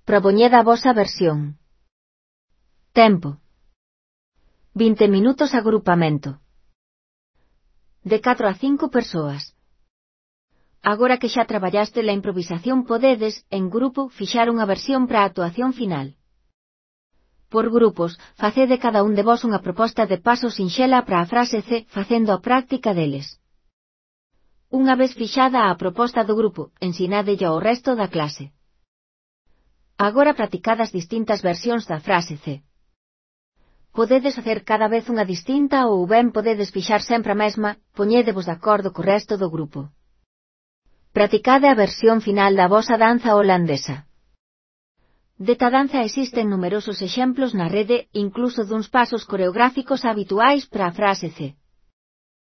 Propoñed a vosa versión. Tempo. 20 minutos agrupamento. De 4 a 5 persoas. Agora que xa traballaste la improvisación podedes, en grupo, fixar unha versión para a actuación final. Por grupos, facede cada un de vos unha proposta de paso sinxela para a frase C, facendo a práctica deles. Unha vez fixada a proposta do grupo, ensinádelle ao resto da clase. Agora practicad as distintas versións da frase C. Podedes facer cada vez unha distinta ou ben podedes fixar sempre a mesma, poñédevos de acordo co resto do grupo. Practicade a versión final da vosa danza holandesa. Desta danza existen numerosos exemplos na rede, incluso duns pasos coreográficos habituais para a frase C.